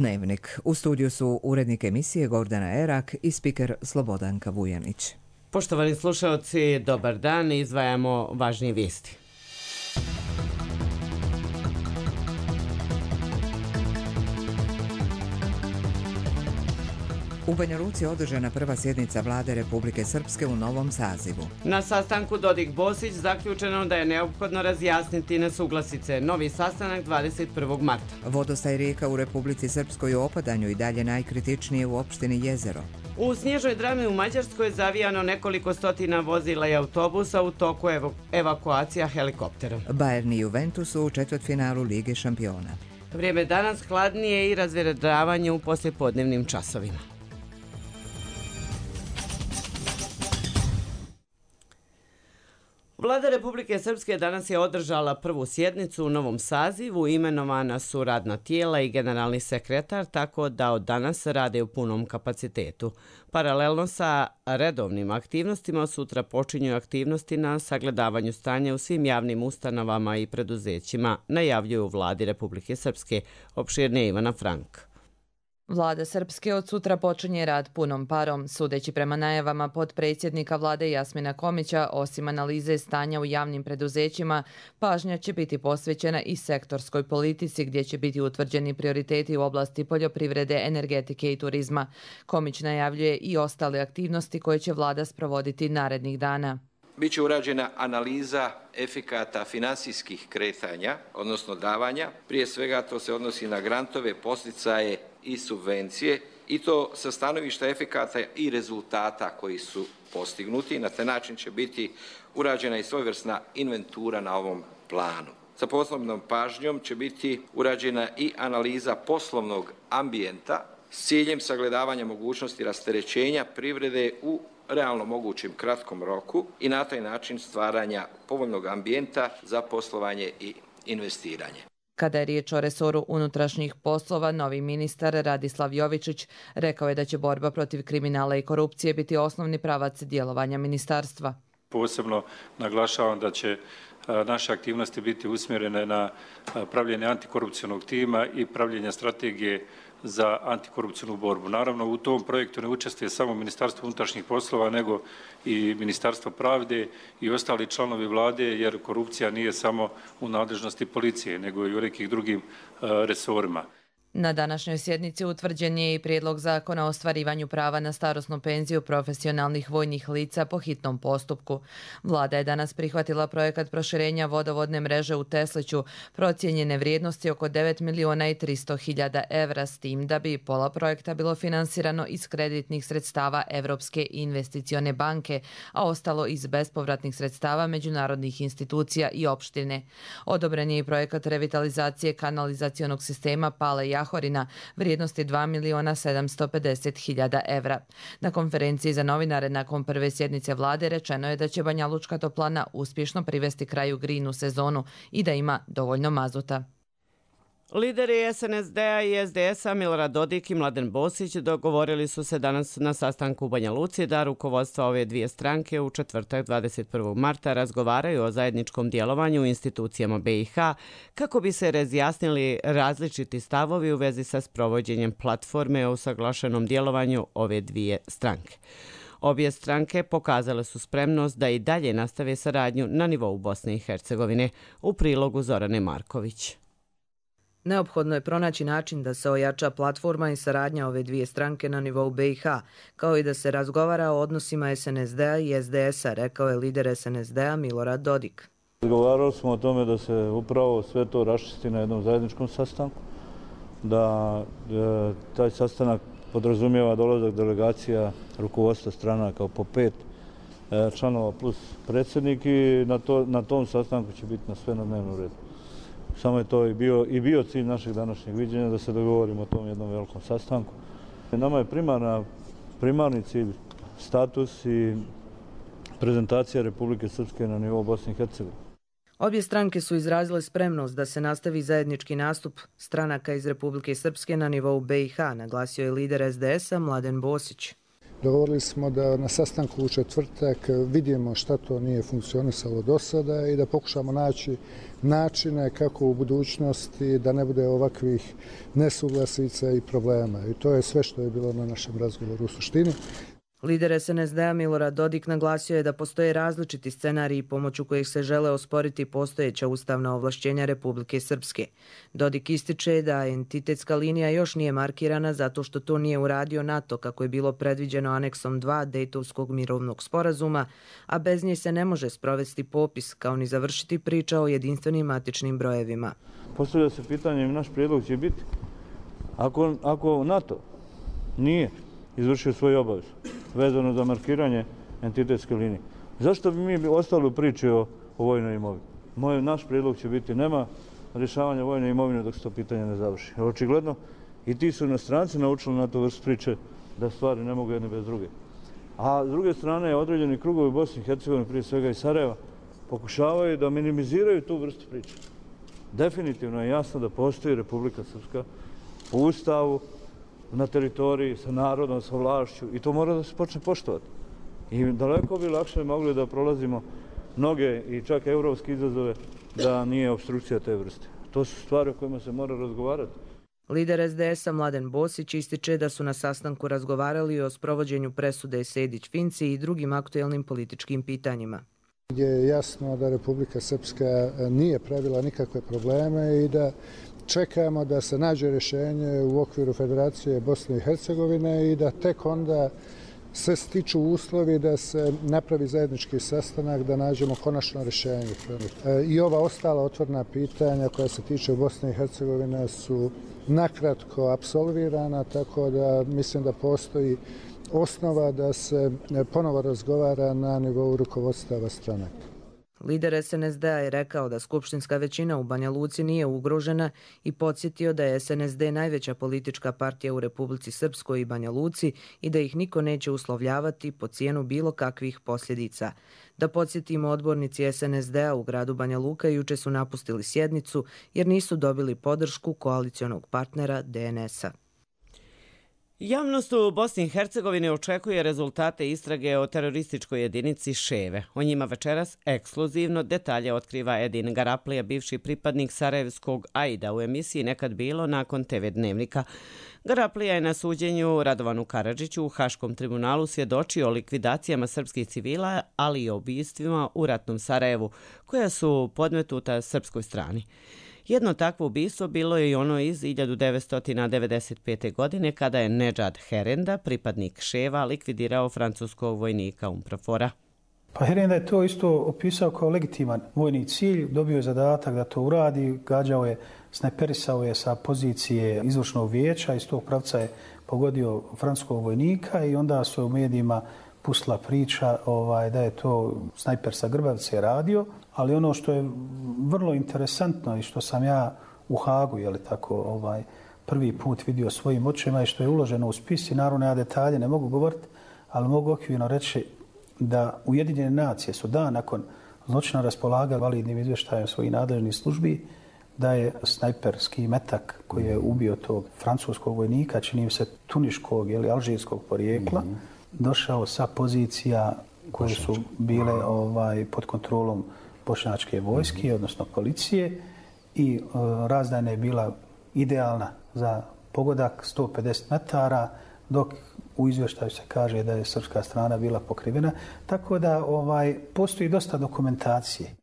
Dnevnik. U studiju su urednik emisije Gordana Erak i spiker Slobodanka Vujanić. Poštovani slušalci, dobar dan, izdvajamo važnije vijesti. U Banja Luci je održana prva sjednica Vlade Republike Srpske u novom sazivu. Na sastanku Dodik-Bosić zaključeno da je neophodno razjasniti nesuglasice. Novi sastanak 21. marta. Vodostaj rijeka u Republici Srpskoj u opadanju i dalje najkritičnije u opštini Jezero. U snježnoj drami u Mađarskoj je zavijano nekoliko stotina vozila i autobusa u toku evakuacija helikoptera. Bayern i Juventus u četvrtfinalu Lige šampiona. Vrijeme danas hladnije i razvedravanje u poslijepodnevnim časovima. Vlada Republike Srpske danas je održala prvu sjednicu u novom sazivu, imenovana su radna tijela i generalni sekretar, tako da od danas rade u punom kapacitetu. Paralelno sa redovnim aktivnostima sutra počinju aktivnosti na sagledavanju stanja u svim javnim ustanovama i preduzećima, najavljuju u Vladi Republike Srpske, opširnije Ivana Frank. Vlada Srpske od sutra počinje rad punom parom. Sudeći prema najavama potpredsjednika vlade Jasmina Komića, osim analize stanja u javnim preduzećima, pažnja će biti posvećena i sektorskoj politici gdje će biti utvrđeni prioriteti u oblasti poljoprivrede, energetike i turizma. Komić najavljuje i ostale aktivnosti koje će vlada sprovoditi narednih dana. Biće urađena analiza efekata finansijskih kretanja, odnosno davanja. Prije svega to se odnosi na grantove, podsticaje i subvencije i to sa stanovišta efekata i rezultata koji su postignuti. Na taj način će biti urađena i svojevrsna inventura na ovom planu. Sa posebnom pažnjom će biti urađena i analiza poslovnog ambijenta s ciljem sagledavanja mogućnosti rasterećenja privrede u realno mogućem kratkom roku i na taj način stvaranja povoljnog ambijenta za poslovanje i investiranje. Kada je riječ o resoru unutrašnjih poslova, novi ministar Radislav Jovičić rekao je da će borba protiv kriminala i korupcije biti osnovni pravac djelovanja ministarstva. Posebno naglašavam da će naše aktivnosti biti usmjerene na pravljenje antikorupcionog tima i pravljenje strategije za antikorupcijnu borbu. Naravno, u tom projektu ne učestvuje samo Ministarstvo unutrašnjih poslova, nego i Ministarstvo pravde i ostali članovi vlade, jer korupcija nije samo u nadležnosti policije, nego i u nekih drugim resorima. Na današnjoj sjednici utvrđen je i prijedlog zakona o ostvarivanju prava na starosnu penziju profesionalnih vojnih lica po hitnom postupku. Vlada je danas prihvatila projekat proširenja vodovodne mreže u Tesliću, procijenjene vrijednosti oko 9.300.000 evra, s tim da bi pola projekta bilo finansirano iz kreditnih sredstava Evropske investicione banke, a ostalo iz bespovratnih sredstava međunarodnih institucija i opštine. Odobren je i projekat revitalizacije kanalizacionog sistema Pale Jahorina, vrijednosti 2.750.000 evra. Na konferenciji za novinare nakon prve sjednice vlade rečeno je da će Banja Lučka toplana uspješno privesti kraju grinu sezonu i da ima dovoljno mazuta. Lideri SNSD-a i SDS-a Milorad Dodik i Mladen Bosić dogovorili su se danas na sastanku u Banja Luci da rukovodstva ove dvije stranke u četvrtak 21. marta razgovaraju o zajedničkom djelovanju u institucijama BiH kako bi se razjasnili različiti stavovi u vezi sa sprovođenjem platforme o usaglašenom djelovanju ove dvije stranke. Obje stranke pokazale su spremnost da i dalje nastave saradnju na nivou Bosne i Hercegovine, u prilogu Zorane Marković. Neophodno je pronaći način da se ojača platforma i saradnja ove dvije stranke na nivou BiH, kao i da se razgovara o odnosima SNSD-a i SDS-a, rekao je lider SNSD-a Milorad Dodik. Razgovarali smo o tome da se upravo sve to raščisti na jednom zajedničkom sastanku, da taj sastanak podrazumijeva dolazak delegacija rukovodstva strana kao po 5 članova plus predsjednik i na tom sastanku će biti na sve na dnevnom redu. Samo je to i bio cilj našeg današnjeg viđenja da se dogovorimo o tom jednom velikom sastanku. Nama je primarni cilj status i prezentacija Republike Srpske na nivou Bosne i Hercegovine. Obje stranke su izrazile spremnost da se nastavi zajednički nastup stranaka iz Republike Srpske na nivou BiH, naglasio je lider SDS-a Mladen Bosić. Dogovorili smo da na sastanku u četvrtak vidimo šta to nije funkcionisalo do sada i da pokušamo naći načine kako u budućnosti da ne bude ovakvih nesuglasica i problema. I to je sve što je bilo na našem razgovoru u suštini. Lider SNSD-a Milorad Dodik naglasio je da postoje različiti scenariji pomoću kojih se žele osporiti postojeća ustavna ovlašćenja Republike Srpske. Dodik ističe da entitetska linija još nije markirana zato što to nije uradio NATO kako je bilo predviđeno aneksom 2 Dejtovskog mirovnog sporazuma, a bez nje se ne može sprovesti popis kao ni završiti priča o jedinstvenim matičnim brojevima. Postavlja se pitanje, naš prijedlog će biti ako NATO nije izvršio svoju obavezu vezano za markiranje entitetske linije. Zašto bi mi ostali u priči o vojnoj imovini? Naš prijedlog će biti nema rješavanja vojne imovine dok se to pitanje ne završi. Očigledno i ti su stranci naučili na to vrst priče da stvari ne mogu jedne bez druge. A s druge strane određeni krugovi u Bosni i Hercegovini, prije svega i Sarajeva, pokušavaju da minimiziraju tu vrstu priče. Definitivno je jasno da postoji Republika Srpska po Ustavu, na teritoriji, sa narodom, sa vlašću i to mora da se počne poštovati. I daleko bi lakše mogli da prolazimo mnoge i čak evropske izazove da nije obstrukcija te vrste. To su stvari o kojima se mora razgovarati. Lider SDS-a Mladen Bosić ističe da su na sastanku razgovarali o sprovođenju presude Sejdić-Finci i drugim aktuelnim političkim pitanjima. Je jasno da Republika Srpska nije pravila nikakve probleme i da čekamo da se nađe rješenje u okviru Federacije Bosne i Hercegovine i da tek onda se stiču uslovi da se napravi zajednički sastanak, da nađemo konačno rješenje. I ova ostala otvorena pitanja koja se tiče Bosne i Hercegovine su nakratko apsolvirana, tako da mislim da postoji osnova da se ponovo razgovara na nivou rukovodstava stranaka. Lider SNSD-a je rekao da skupštinska većina u Banja Luci nije ugrožena i podsjetio da je SNSD najveća politička partija u Republici Srpskoj i Banja Luci i da ih niko neće uslovljavati po cijenu bilo kakvih posljedica. Da podsjetimo, odbornici SNSD-a u gradu Banja Luka juče su napustili sjednicu jer nisu dobili podršku koalicionog partnera DNS-a. Javnost u Bosni i Hercegovini očekuje rezultate istrage o terorističkoj jedinici Ševe. O njima večeras ekskluzivno detalje otkriva Edin Garaplija, bivši pripadnik sarajevskog AID-a u emisiji Nekad bilo nakon TV Dnevnika. Garaplija je na suđenju Radovanu Karadžiću u Haškom tribunalu svjedočio o likvidacijama srpskih civila, ali i o ubistvima u ratnom Sarajevu, koja su podmetuta srpskoj strani. Jedno takvo ubistvo bilo je i ono iz 1995. godine kada je Nedžad Herenda, pripadnik Ševa, likvidirao francuskog vojnika UNPROFOR-a. Pa Herenda je to isto opisao kao legitiman vojni cilj, dobio je zadatak da to uradi, gađao je, snajperisao je sa pozicije izvršnog vijeća, iz tog pravca je pogodio francuskog vojnika i onda su u medijima pustila priča da je to snajper sa Grbavice radio, ali ono što je vrlo interesantno i što sam ja u Hagu prvi put vidio svojim očima i što je uloženo u spis i naravno ja detalje ne mogu govoriti, ali mogu okvirno reći da Ujedinjene nacije su dan nakon zločina raspolagali validnim izvještajem svojih nadležnih službi da je snajperski metak koji je ubio tog francuskog vojnika, čini se tuniškog ili alžirskog porijekla, došao sa pozicija koje su bile pod kontrolom bošnjačke vojske, odnosno policije, i razdajna je bila idealna za pogodak 150 metara, dok u izvještaju se kaže da je srpska strana bila pokrivena. Tako da postoji dosta dokumentacije.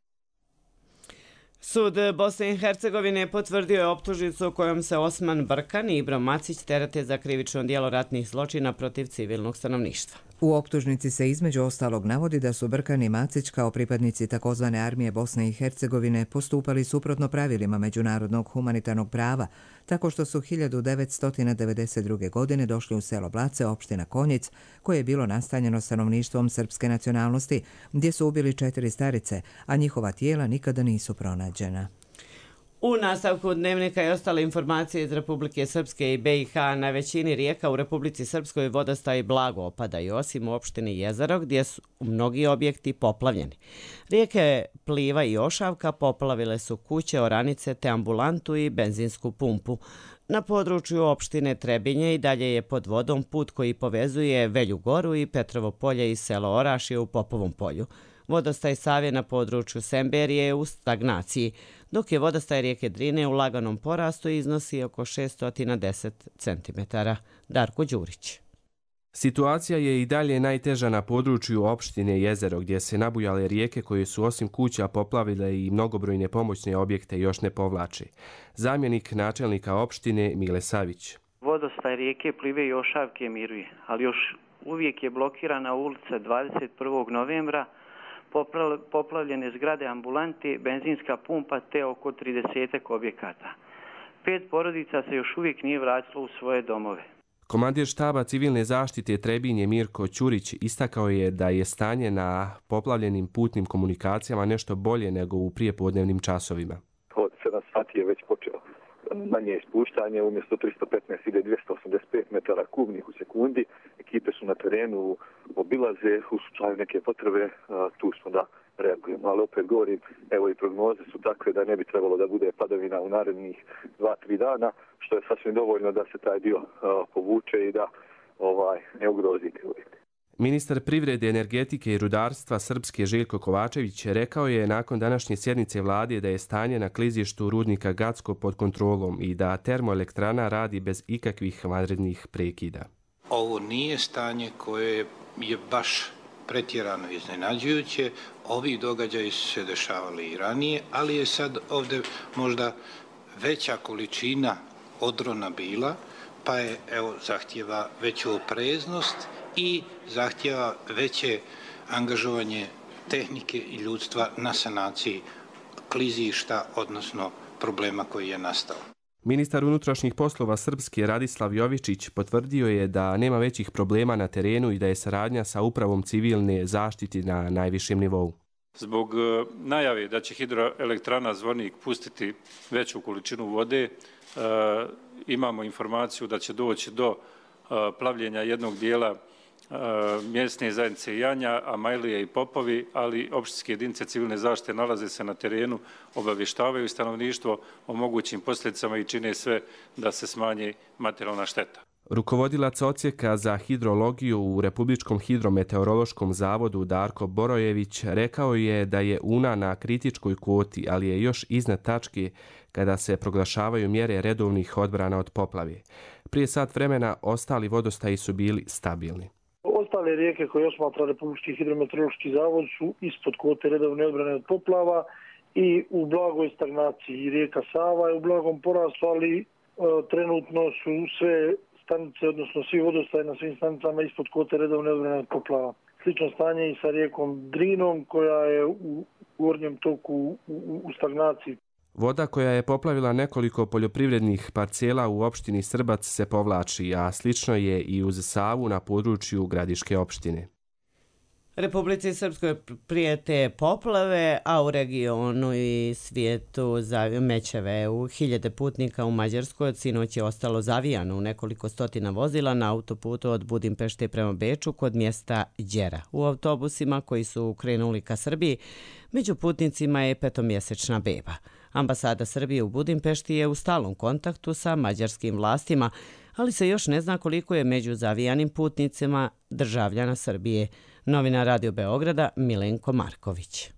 Sud Bosne i Hercegovine potvrdio je optužnicu kojom se Osman Brkan i Ibro Macić terete za krivično djelo ratnih zločina protiv civilnog stanovništva. U optužnici se između ostalog navodi da su Brkan i Macić kao pripadnici takozvane armije Bosne i Hercegovine postupali suprotno pravilima međunarodnog humanitarnog prava, tako što su 1992. godine došli u selo Blace, opština Konjic, koje je bilo nastanjeno stanovništvom srpske nacionalnosti, gdje su ubili 4 starice, a njihova tijela nikada nisu pronađena. U nastavku Dnevnika i ostale informacije iz Republike Srpske i BiH, na većini rijeka u Republici Srpskoj vodostaji blago opadaju, osim u opštini Jezero gdje su mnogi objekti poplavljeni. Rijeke Pliva i Ošavka poplavile su kuće, oranice te ambulantu i benzinsku pumpu. Na području opštine Trebinje i dalje je pod vodom put koji povezuje Velju Goru i Petrovo polje i selo Orašje u Popovom polju. Vodostaj Save na području Semberije je u stagnaciji, dok je vodostaj rijeke Drine u laganom porastu i iznosi oko 610 cm. Darko Đurić. Situacija je i dalje najteža na području opštine Jezero, gdje se nabujale rijeke koje su osim kuća poplavile i mnogobrojne pomoćne objekte još ne povlače. Zamjenik načelnika opštine Mile Savić. Vodostaj rijeke Plive i Ošavke miruje, ali još uvijek je blokirana ulica 21. novembra, poplavljene zgrade ambulante, benzinska pumpa te oko 30 objekata. 5 porodica se još uvijek nije vratilo u svoje domove. Komandir štaba civilne zaštite Trebinje Mirko Ćurić istakao je da je stanje na poplavljenim putnim komunikacijama nešto bolje nego u prijepodnevnim časovima. Od 7 sati je već počeo manje ispuštanje, umjesto 315 ide 285 metara kubnih u sekundi. Ekipe su na terenu, obilaze, u slučaju neke potrebe, tu smo da reagujemo. Ali opet govorim, evo i prognoze su takve da ne bi trebalo da bude padavina u narednih 2-3 dana, što je sasvim dovoljno da se taj dio povuče i da ne ugrozi te uvjete. Ministar privrede, energetike i rudarstva Srpske Željko Kovačević rekao je nakon današnje sjednice vlade da je stanje na klizištu rudnika Gacko pod kontrolom i da termoelektrana radi bez ikakvih vanrednih prekida. Ovo nije stanje koje je baš pretjerano iznenađujuće. Ovi događaji su se dešavali i ranije, ali je sad ovdje možda veća količina odrona bila, pa je zahtjeva veću opreznost i zahtjeva veće angažovanje tehnike i ljudstva na sanaciji klizišta, odnosno problema koji je nastao. Ministar unutrašnjih poslova Srpske Radislav Jovičić potvrdio je da nema većih problema na terenu i da je saradnja sa upravom civilne zaštite na najvišem nivou. Zbog najave da će hidroelektrana Zvornik pustiti veću količinu vode, imamo informaciju da će doći do plavljenja jednog dijela mjesne zajednice Janja, Amajlije i Popovi, ali opštinske jedinice civilne zaštite nalaze se na terenu, obavještavaju stanovništvo o mogućim posljedicama i čine sve da se smanji materijalna šteta. Rukovodilac odsjeka za hidrologiju u Republičkom hidrometeorološkom zavodu Darko Borojević rekao je da je Una na kritičkoj kvoti, ali je još iznad tačke kada se proglašavaju mjere redovnih odbrana od poplave. Prije sat vremena ostali vodostaji su bili stabilni. Ostale rijeke koje osmatra Republički hidrometeorološki zavod su ispod kvote redovne odbrane od poplava i u blagoj stagnaciji. Rijeka Sava je u blagom porastu, ali trenutno su sve stanice, odnosno svi vodostaji na svim stanicama ispod kvote redovne odbrane od poplava. Slično stanje i sa rijekom Drinom koja je u gornjem toku u stagnaciji. Voda koja je poplavila nekoliko poljoprivrednih parcela u opštini Srbac se povlači, a slično je i uz Savu na području Gradiške opštine. Republici Srpskoj prijete poplave, a u regionu i svijetu mećeve. U hiljade putnika u Mađarskoj od sinoć je ostalo zavijano u nekoliko stotina vozila na autoputu od Budimpešte prema Beču kod mjesta Đera. U autobusima koji su krenuli ka Srbiji, među putnicima je 5-mjesečna beba. Ambasada Srbije u Budimpešti je u stalnom kontaktu sa mađarskim vlastima, ali se još ne zna koliko je među zavijanim putnicima državljana Srbije. Novinar Radio Beograda Milenko Marković.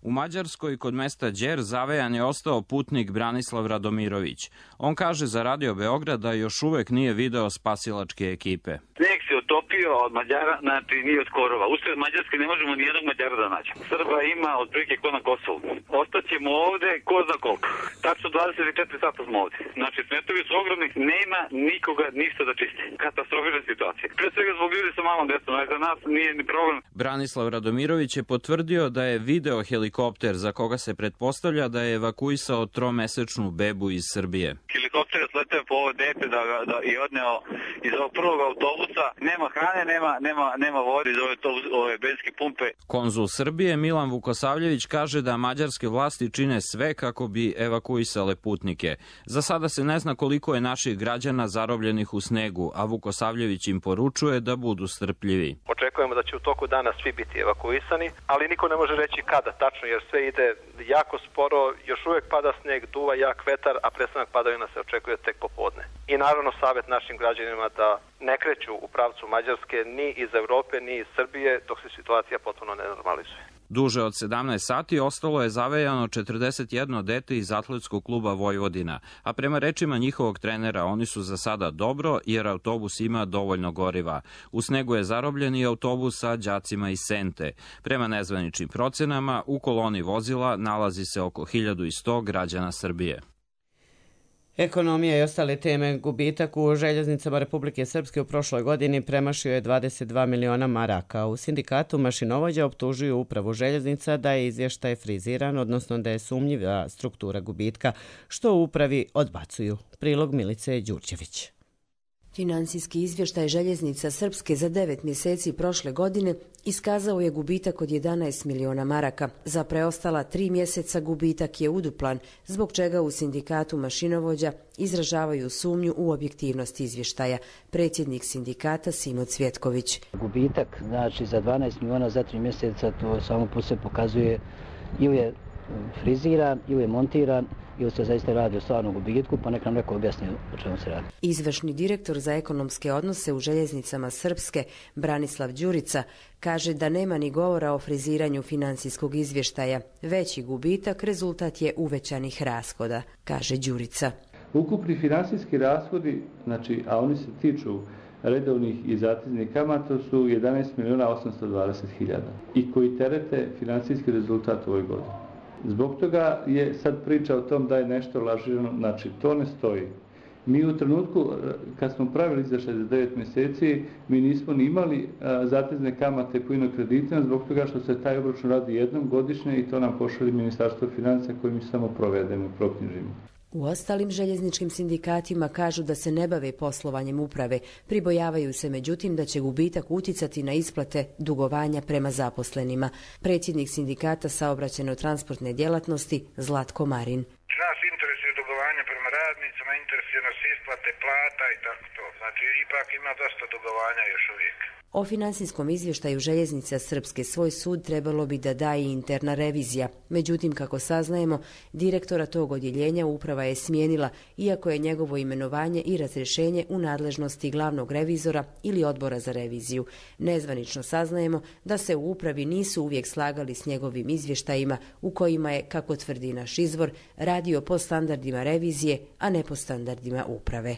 U Mađarskoj kod mesta Đer zavejan je ostao putnik Branislav Radomirović. On kaže za Radio Beograd da još uvek nije video spasilačke ekipe. Snijeg se otopio od Mađara, znači nije od Korova. Usred Mađarske ne možemo ni jednog Mađara da nađemo. Srba ima otprilike ko na Kosovu. Ostaćemo ovde ko zna koliko. Tačno 24 sata smo ovde. Znači smetovi su ogromni, nema nikoga ništa da čisti. Katastrofična situacija. Pre svega zbog ljudi sa malom djecom, za nas nije ni problem. Branislav Radomirović je potvrdio da je video helikopter za koga se pretpostavlja da je evakuisao 3-mesečnu bebu iz Srbije. Helikopter je sleteo po ovo dete i odneo iz ovog prvog autobusa. Nema hrane, nema vode iz ove benzinske pumpe. Konzul Srbije Milan Vukosavljević kaže da mađarske vlasti čine sve kako bi evakuisale putnike. Za sada se ne zna koliko je naših građana zarobljenih u snegu, a Vukosavljević im poručuje da budu strpljivi. Očekujemo da će u toku dana svi biti evakuisani, ali niko ne može reći kada tačno, jer sve ide jako sporo, još uvijek pada snijeg, duva jak vetar, a prestanak padavina se očekuje tek popodne. I naravno savjet našim građanima da ne kreću u pravcu Mađarske ni iz Europe, ni iz Srbije, dok se situacija potpuno ne normalizuje. Duže od 17 sati ostalo je zavejano 41 dete iz atletskog kluba Vojvodina, a prema rečima njihovog trenera oni su za sada dobro jer autobus ima dovoljno goriva. U snegu je zarobljen i autobus sa đacima iz Sente. Prema nezvaničnim procenama u koloni vozila nalazi se oko 1100 građana Srbije. Ekonomija i ostale teme. Gubitak u željeznicama Republike Srpske u prošloj godini premašio je 22 miliona maraka. U sindikatu mašinovođa optužuju upravu željeznica da je izvještaj friziran, odnosno da je sumnjiva struktura gubitka, što u upravi odbacuju. Prilog Milice Đurđević. Finansijski izvještaj željeznica Srpske za 9 mjeseci prošle godine iskazao je gubitak od 11 miliona maraka. Za preostala 3 mjeseca gubitak je uduplan, zbog čega u sindikatu mašinovođa izražavaju sumnju u objektivnost izvještaja. Predsjednik sindikata Simo Cvjetković. Gubitak, znači za 12 miliona za 3 mjeseca, to samo po sebi pokazuje ili je friziran, ili je montiran, ili se zaista radi o stvarnom gubitku, pa nek nam neko objasni o čemu se radi. Izvršni direktor za ekonomske odnose u željeznicama Srpske, Branislav Đurica, kaže da nema ni govora o friziranju financijskog izvještaja. Veći gubitak rezultat je uvećanih rashoda, kaže Đurica. Ukupni finansijski rashodi, znači, a oni se tiču redovnih i zateznih kamata, su 11 miliona 820 hiljada i koji terete finansijski rezultat u ovoj godini. Zbog toga je sad priča o tom da je nešto lažirano, znači to ne stoji. Mi u trenutku kad smo pravili izvještaj za 9 mjeseci, mi nismo ni imali zatezne kamate po inokreditima zbog toga što se taj obračun radi jednom godišnje i to nam pošalje Ministarstvo financija koje mi samo provedemo i proknjižimo. U ostalim željezničkim sindikatima kažu da se ne bave poslovanjem uprave. Pribojavaju se međutim da će gubitak utjecati na isplate dugovanja prema zaposlenima. Predsjednik sindikata saobraćajno-transportne djelatnosti Zlatko Marin. Nas interesuje dugovanje prema radnicima, interesuje nas isplate plata i tako to. Znači ipak ima dosta dugovanja još uvijek. O financijskom izvještaju željeznica Srpske svoj sud trebalo bi da daje interna revizija. Međutim, kako saznajemo, direktora tog odjeljenja uprava je smijenila, iako je njegovo imenovanje i razrješenje u nadležnosti glavnog revizora ili odbora za reviziju. Nezvanično saznajemo da se u upravi nisu uvijek slagali s njegovim izvještajima u kojima je, kako tvrdi naš izvor, radio po standardima revizije, a ne po standardima uprave.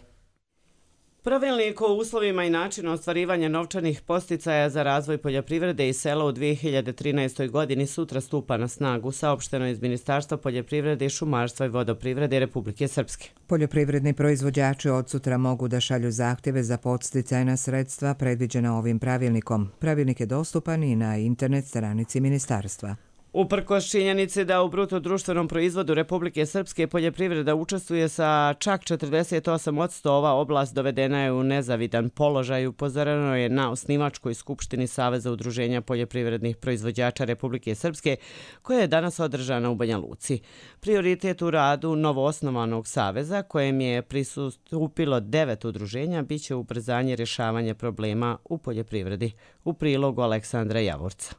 Pravilnik o uslovima i načinu ostvarivanja novčanih podsticaja za razvoj poljoprivrede i sela u 2013. godini sutra stupa na snagu, saopšteno iz Ministarstva poljoprivrede, šumarstva i vodoprivrede Republike Srpske. Poljoprivredni proizvođači od sutra mogu da šalju zahtjeve za podsticajna sredstva predviđena ovim pravilnikom. Pravilnik je dostupan i na internet stranici ministarstva. Uprkos činjenici da u bruto društvenom proizvodu Republike Srpske poljoprivreda učestvuje sa čak 48%, ova oblast dovedena je u nezavidan položaj, upozoreno je na osnivačkoj skupštini Saveza udruženja poljoprivrednih proizvođača Republike Srpske, koja je danas održana u Banja Luci. Prioritet u radu novoosnovanog saveza, kojem je pristupilo 9 udruženja, biće ubrzanje rješavanja problema u poljoprivredi. U prilogu Aleksandra Javorca.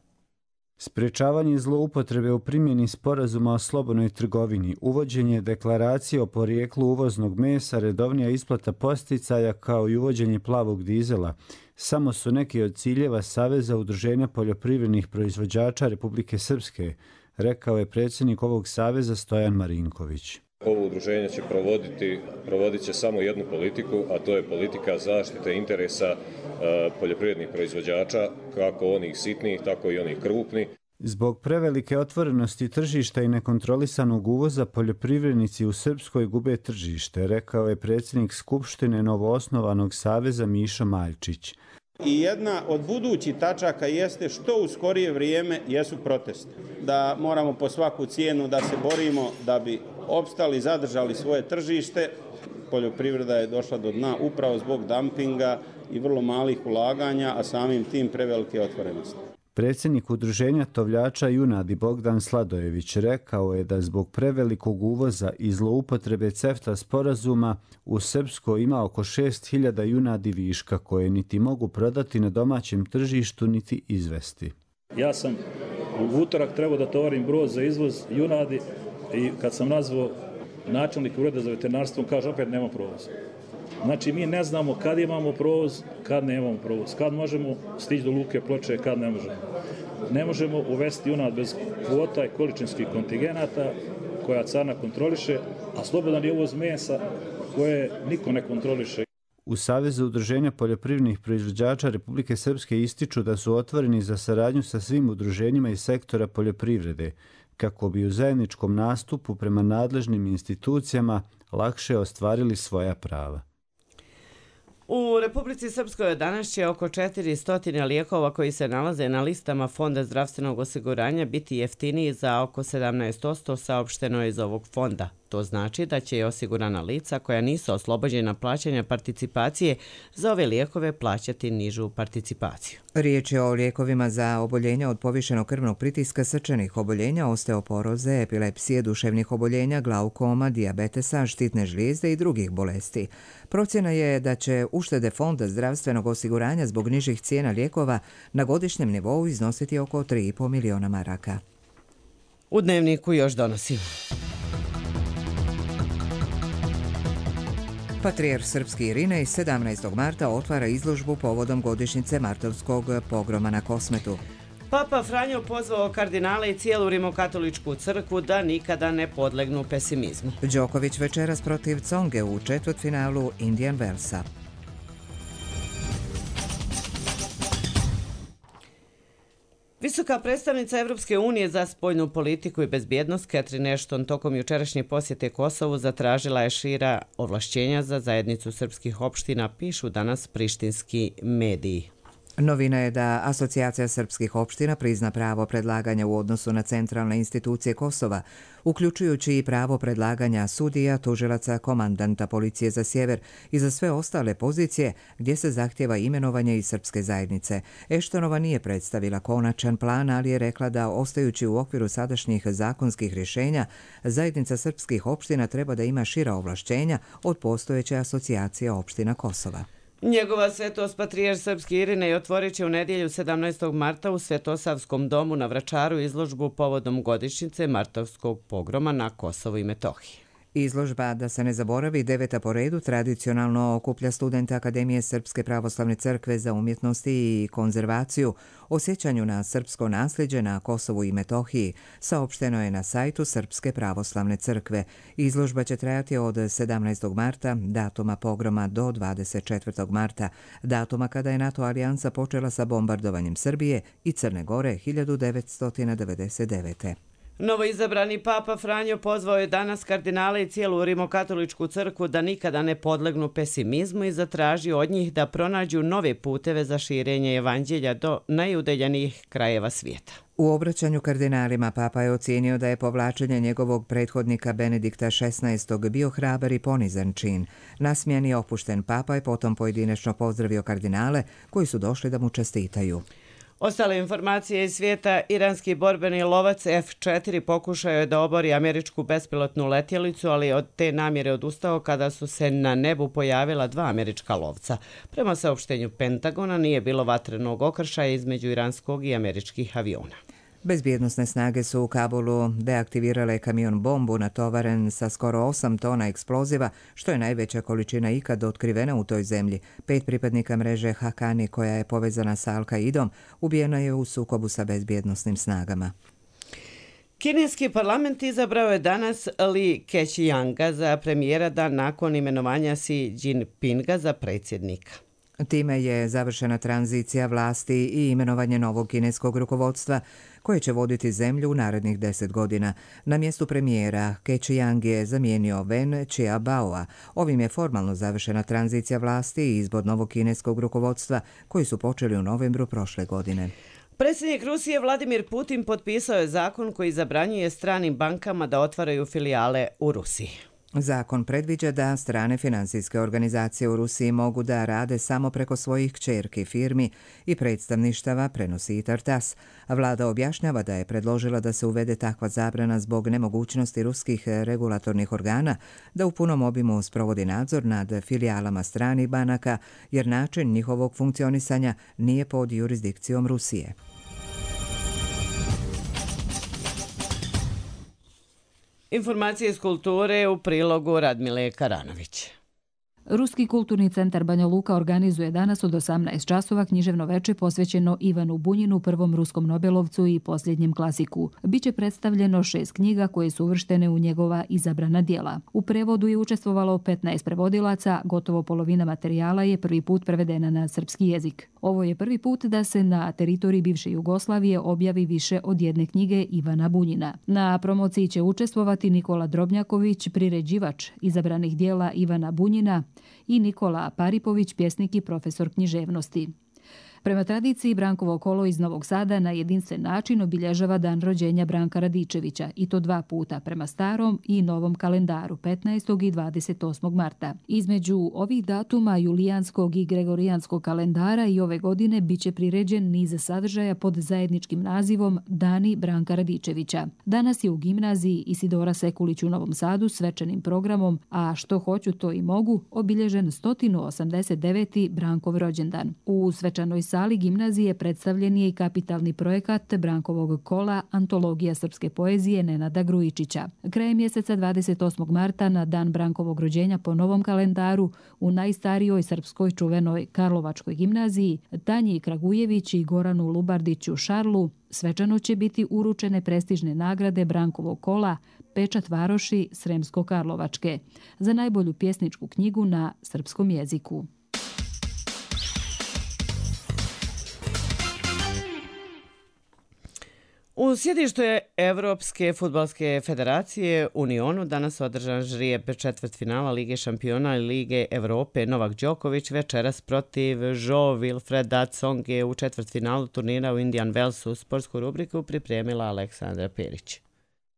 Sprečavanje zloupotrebe u primjeni sporazuma o slobodnoj trgovini, uvođenje deklaracije o porijeklu uvoznog mesa, redovnija isplata podsticaja kao i uvođenje plavog dizela samo su neki od ciljeva Saveza udruženja poljoprivrednih proizvođača Republike Srpske, rekao je predsjednik ovog saveza Stojan Marinković. Ovo udruženje će provodit će samo jednu politiku, a to je politika zaštite interesa poljoprivrednih proizvođača, kako onih sitnih, tako i onih krupnih. Zbog prevelike otvorenosti tržišta i nekontrolisanog uvoza, poljoprivrednici u Srpskoj gube tržište, rekao je predsjednik Skupštine novoosnovanog saveza Mišo Maljčić. I jedna od budućih tačaka jeste što u skorije vrijeme jesu protesti. Da moramo po svaku cijenu da se borimo da bi opstali, zadržali svoje tržište. Poljoprivreda je došla do dna upravo zbog dampinga i vrlo malih ulaganja, a samim tim prevelike otvorenosti. Predsjednik udruženja tovljača junadi Bogdan Sladojević rekao je da zbog prevelikog uvoza i zloupotrebe CEFTA sporazuma u Srpskoj ima oko 6.000 junadi viška koje niti mogu prodati na domaćem tržištu niti izvesti. Ja sam U utorak trebao da tovarim brod za izvoz junadi i kad sam nazvao načelnik ureda za veterinarstvo, on kaže opet nema provoza. Znači mi ne znamo kad imamo provoz, kad nemamo provoz, kad možemo stići do luke Ploče, kad ne možemo. Ne možemo uvesti junad bez kvota i količinskih kontingenata koja carina kontroliše, a slobodan je uvoz mesa koje niko ne kontroliše. U Savezu udruženja poljoprivrednih proizvođača Republike Srpske ističu da su otvoreni za saradnju sa svim udruženjima iz sektora poljoprivrede, kako bi u zajedničkom nastupu prema nadležnim institucijama lakše ostvarili svoja prava. U Republici Srpskoj danas će oko 400 lijekova koji se nalaze na listama Fonda zdravstvenog osiguranja biti jeftiniji za oko 17%, saopšteno je iz ovog fonda. To znači da će osigurana lica koja nisu oslobođena plaćanja participacije za ove lijekove plaćati nižu participaciju. Riječ je o lijekovima za oboljenja od povišenog krvnog pritiska, srčanih oboljenja, osteoporoze, epilepsije, duševnih oboljenja, glaukoma, dijabetesa, štitne žlijezde i drugih bolesti. Procjena je da će uštede Fonda zdravstvenog osiguranja zbog nižih cijena lijekova na godišnjem nivou iznositi oko 3,5 miliona maraka. U Dnevniku još donosimo. Patrijarh srpski Irinej 17. marta otvara izložbu povodom godišnjice martovskog pogroma na Kosmetu. Papa Franjo pozvao kardinale i cijelu rimokatoličku crkvu da nikada ne podlegnu pesimizmu. Đoković večeras protiv Tsonge u četvrtfinalu Indian Wellsa. Visoka predstavnica Evropske unije za spoljnu politiku i bezbjednost Catherine Ashton tokom jučerašnje posjete Kosovu zatražila je šira ovlašćenja za zajednicu srpskih opština, pišu danas prištinski mediji. Novina je da Asocijacija srpskih opština prizna pravo predlaganja u odnosu na centralne institucije Kosova, uključujući i pravo predlaganja sudija, tužilaca, komandanta policije za sjever i za sve ostale pozicije gdje se zahtjeva imenovanje iz srpske zajednice. Eštonova nije predstavila konačan plan, ali je rekla da, ostajući u okviru sadašnjih zakonskih rješenja, zajednica srpskih opština treba da ima šira ovlašćenja od postojeće Asocijacije opština Kosova. Njegova svetost patrijarh srpski Irinej otvorit će u nedjelju 17. marta u Svetosavskom domu na Vračaru izložbu povodom godišnjice martovskog pogroma na Kosovu i Metohiji. Izložba, da se ne zaboravi, 9. po redu, tradicionalno okuplja studente Akademije Srpske pravoslavne crkve za umjetnosti i konzervaciju o sjećanju na srpsko nasljeđe na Kosovu i Metohiji, saopšteno je na sajtu Srpske pravoslavne crkve. Izložba će trajati od 17. marta, datuma pogroma, do 24. marta, datuma kada je NATO alijansa počela sa bombardovanjem Srbije i Crne Gore 1999. Novoizabrani papa Franjo pozvao je danas kardinale i cijelu rimokatoličku crkvu da nikada ne podlegnu pesimizmu i zatražio od njih da pronađu nove puteve za širenje evanđelja do najudaljenijih krajeva svijeta. U obraćanju kardinalima papa je ocijenio da je povlačenje njegovog prethodnika Benedikta XVI. Bio hrabar i ponizan čin. Nasmijan i opušten papa je potom pojedinačno pozdravio kardinale koji su došli da mu čestitaju. Ostale informacije iz svijeta, iranski borbeni lovac F-4 pokušao je da obori američku bespilotnu letjelicu, ali od te namjere odustao kada su se na nebu pojavila 2 američka lovca. Prema saopštenju Pentagona nije bilo vatrenog okršaja između iranskog i američkih aviona. Bezbjednosne snage su u Kabulu deaktivirale kamion bombu natovaren sa skoro 8 tona eksploziva, što je najveća količina ikad otkrivena u toj zemlji. 5 pripadnika mreže Hakani, koja je povezana sa Al-Qaidom, ubijena je u sukobu sa bezbjednosnim snagama. Kineski parlament izabrao je danas Li Keqianga za premijera dan nakon imenovanja Xi Jinpinga za predsjednika. Time je završena tranzicija vlasti i imenovanje novog kineskog rukovodstva koje će voditi zemlju u narednih 10 godina. Na mjestu premijera Keqiang je zamijenio Wen Qiaobaoa. Ovim je formalno završena tranzicija vlasti i izbor novog kineskog rukovodstva koji su počeli u novembru prošle godine. Predsjednik Rusije Vladimir Putin potpisao je zakon koji zabranjuje stranim bankama da otvaraju filijale u Rusiji. Zakon predviđa da strane finansijske organizacije u Rusiji mogu da rade samo preko svojih kćerki firmi i predstavništava, prenosi i TASS. Vlada objašnjava da je predložila da se uvede takva zabrana zbog nemogućnosti ruskih regulatornih organa da u punom obimu sprovodi nadzor nad filijalama stranih banaka, jer način njihovog funkcionisanja nije pod jurisdikcijom Rusije. Informacije iz kulture u prilogu Radmile Karanović. Ruski kulturni centar Banja Luka organizuje danas od 18 časova književno veče posvećeno Ivanu Bunjinu, prvom ruskom Nobelovcu i posljednjem klasiku. Biće predstavljeno 6 knjiga koje su uvrštene u njegova izabrana dijela. U prevodu je učestvovalo 15 prevodilaca, gotovo polovina materijala je prvi put prevedena na srpski jezik. Ovo je prvi put da se na teritoriji bivše Jugoslavije objavi više od jedne knjige Ivana Bunjina. Na promociji će učestvovati Nikola Drobnjaković, priređivač izabranih dijela Ivana Bunjina, i Nikola Paripović, pjesnik i profesor književnosti. Prema tradiciji, Brankovo kolo iz Novog Sada na jedinstven način obilježava dan rođenja Branka Radičevića, i to 2 puta, prema starom i novom kalendaru, 15. i 28. marta. Između ovih datuma julijanskog i gregorijanskog kalendara i ove godine biće priređen niz sadržaja pod zajedničkim nazivom Dani Branka Radičevića. Danas je u gimnaziji Isidora Sekulić u Novom Sadu svečanim programom A što hoću to i mogu obilježen 189. Brankov rođendan. U svečanoj sali gimnazije predstavljen je i kapitalni projekat Brankovog kola Antologija srpske poezije Nenada Grujičića. Krajem mjeseca 28. marta na dan Brankovog rođenja po novom kalendaru u najstarijoj srpskoj čuvenoj Karlovačkoj gimnaziji Tanji Kragujević i Goranu Lubardiću Šarlu svečano će biti uručene prestižne nagrade Brankovog kola Pečat varoši Sremsko-Karlovačke za najbolju pjesničku knjigu na srpskom jeziku. U sjedištu je Evropske fudbalske federacije Unionu danas održan žrijeb četvrtfinala Lige šampiona i Lige Evrope. Novak Đoković večeras protiv Jo Wilfreda Tsonge u četvrtfinalu turnira u Indian Wellsu. Sportsku rubriku pripremila Aleksandra Perić.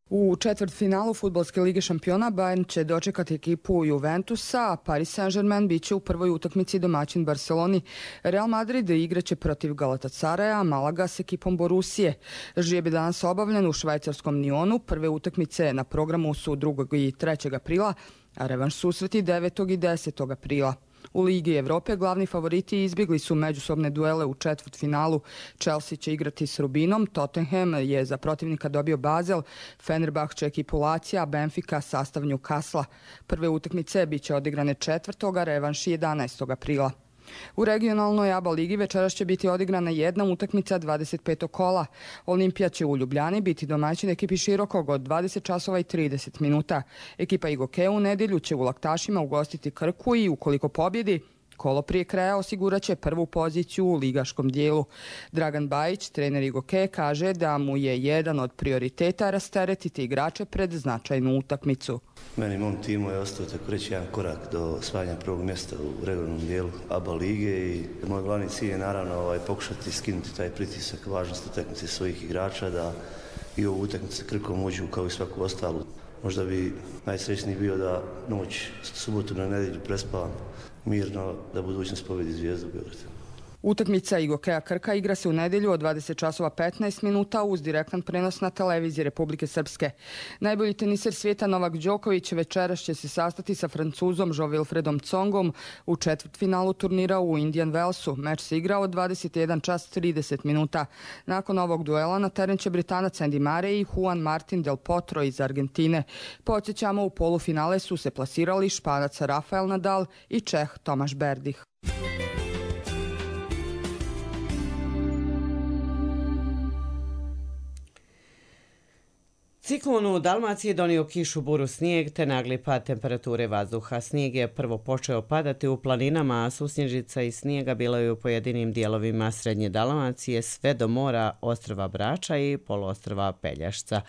U četvrtfinalu Fudbalske lige šampiona Bayern će dočekati ekipu Juventusa, a Paris Saint-Germain biće u prvoj utakmici domaćin Barceloni. Real Madrid igraće protiv Galatasaraja, a Malaga s ekipom Borusije. Žrijeb je danas obavljen u švajcarskom Nyonu. Prve utakmice na programu su 2. i 3. aprila, a revanš susreti 9. i 10. aprila. U Ligi Evrope glavni favoriti izbjegli su međusobne duele u četvrtfinalu. Chelsea će igrati s Rubinom, Tottenham je za protivnika dobio Basel, Fenerbahče ekipu Lazija, Benfica sastav Newcastle. Prve utakmice biće odigrane 4. revanš 11. aprila. U regionalnoj ABA ligi večeras će biti odigrana jedna utakmica 25. kola. Olimpija će u Ljubljani biti domaćin ekipi Širokog od 20 časova i 30 minuta. Ekipa Igoke u nedjelju će u Laktašima ugostiti Krku i ukoliko pobjedi, kolo prije kraja osigurat će prvu poziciju u ligaškom dijelu. Dragan Bajić, trener Igoke, kaže da mu je jedan od prioriteta rasteretiti igrače pred značajnu utakmicu. Meni i mom timu je ostao tako reći jedan korak do osvajanja prvog mjesta u regionalnom dijelu ABA lige i moj glavni cilj je naravno pokušati skinuti taj pritisak važnosti utakmice svojih igrača da i ovu utakmicu sa Krkom uđu kao i svaku ostalu. Možda bi najsrećniji bio da noć subotu na nedjelju prespavam mirno, da budućnost pobjedi Zvijezdu Beograd. Utakmica Igokea Krka igra se u nedjelju od 20 časova 15 minuta uz direktan prenos na televiziji Republike Srpske. Najbolji teniser svijeta Novak Đoković večeras će se sastati sa Francuzom Jo Wilfredom Tsongom u četvrtfinalu turnira u Indian Wellsu. Meč se igra od 21 čas 30 minuta. Nakon ovog duela na teren će Britanac Andy Murray i Juan Martin Del Potro iz Argentine. Podsjećamo, u polufinale su se plasirali Španac Rafael Nadal i Čeh Tomaš Berdych. Ciklon u Dalmaciji donio kišu, buru, snijeg te nagli pad temperature vazduha. Snijeg je prvo počeo padati u planinama, a susnježica i snijega bilo je u pojedinim dijelovima srednje Dalmacije sve do mora ostrva Brača i poluostrva Pelješca.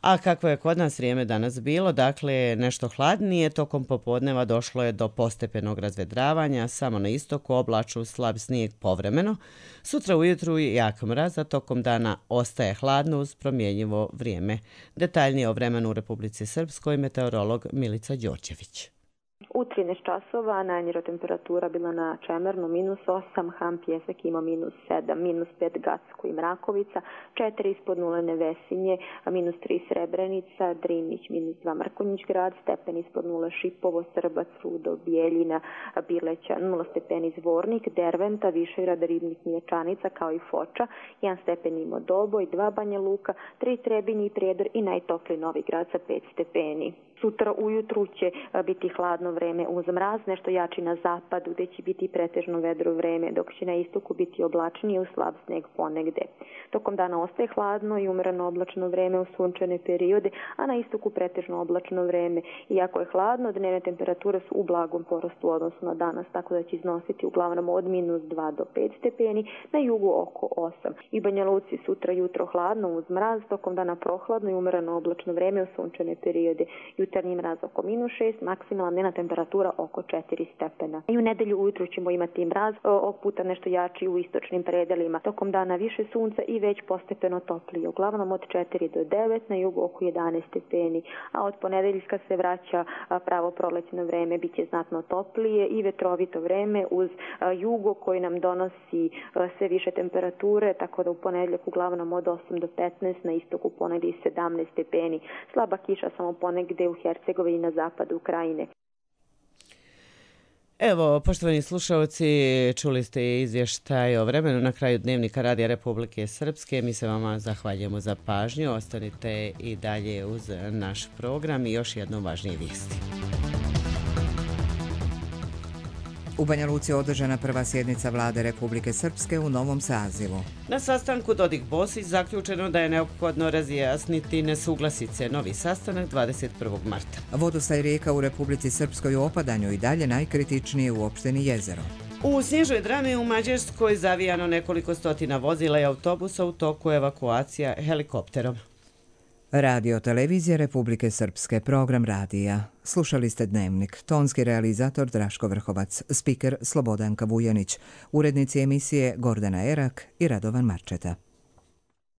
A kako je kod nas vrijeme danas bilo, dakle nešto hladnije, tokom popodneva došlo je do postepenog razvedravanja, samo na istoku oblaču slab snijeg povremeno. Sutra ujutru je jak mraz, a tokom dana ostaje hladno uz promjenjivo vrijeme. Detaljnije o vremenu u Republici Srpskoj meteorolog Milica Đorđević. U 13 časova najniža temperatura bila na Čemernu -8, Ham Pjesak ima -7, -5 Gacko i Mrakovica, 4 ispod nule Nevesinje, -3 Srebrenica, Drinić, -2 Mrkonjić grad, stepen ispod nule Šipovo, Srbac, Rudo, Bijeljina, Bileća, 0 stepeni Zvornik, Derventa, Višegrad, Ribnik, Miječanica kao i Foča, 1 stepen ima Doboj, 2 Banja Luka, 3 Trebinje i Prijedor i najtopliji Novi Grad sa 5 stepeni. Sutra ujutru će biti hladno vreme uz mraz, nešto jači na zapadu gdje će biti pretežno vedro vreme, dok će na istoku biti oblačnije uz slab sneg ponegde. Tokom dana ostaje hladno i umereno oblačno vreme u sunčane periode, a na istoku pretežno oblačno vreme. Iako je hladno, dnevne temperature su u blagom porastu u odnosu na danas, tako da će iznositi uglavnom od -2 do 5 stepeni, na jugu oko 8. I Banja Luci sutra jutro hladno uz mraz, tokom dana prohladno i umereno oblačno vreme u sunčane periode. Jutarnji mraz oko -6, maksimalna dnevna temperatura oko 4 stepena. I u nedelju ujutru ćemo imati mraz, ovog puta nešto jači u istočnim predelima. Tokom dana više sunca i već postepeno toplije, uglavnom od 4 do 9, na jugu oko 11 stepeni. A od ponedeljka se vraća pravo prolećno vreme, bit će znatno toplije i vetrovito vreme uz jugo koji nam donosi sve više temperature, tako da u ponedeljak uglavnom od 8 do 15, na istoku ponegdje 17 stepeni. Slaba kiša samo ponegde u Hercegovini na zapadu Ukrajine. Evo, poštovani slušalci, čuli ste izvještaj o vremenu na kraju Dnevnika Radija Republike Srpske. Mi se vama zahvaljujemo za pažnju. Ostanite i dalje uz naš program i još jednom važnije vijesti. U Banja Luci je održana prva sjednica Vlade Republike Srpske u novom sazivu. Na sastanku Dodik-Bosić zaključeno da je neophodno razjasniti nesuglasice. Novi sastanak 21. marta. Vodostaj rijeka u Republici Srpskoj u opadanju i dalje najkritičnije u opštini Jezero. U snježnoj drami u Mađarskoj zavijano nekoliko stotina vozila i autobusa, u toku evakuacija helikopterom. Radio Televizija Republike Srpske, program radija. Slušali ste Dnevnik, tonski realizator Draško Vrhovac, spiker Slobodanka Vujanić, urednici emisije Gordana Erak i Radovan Marčeta.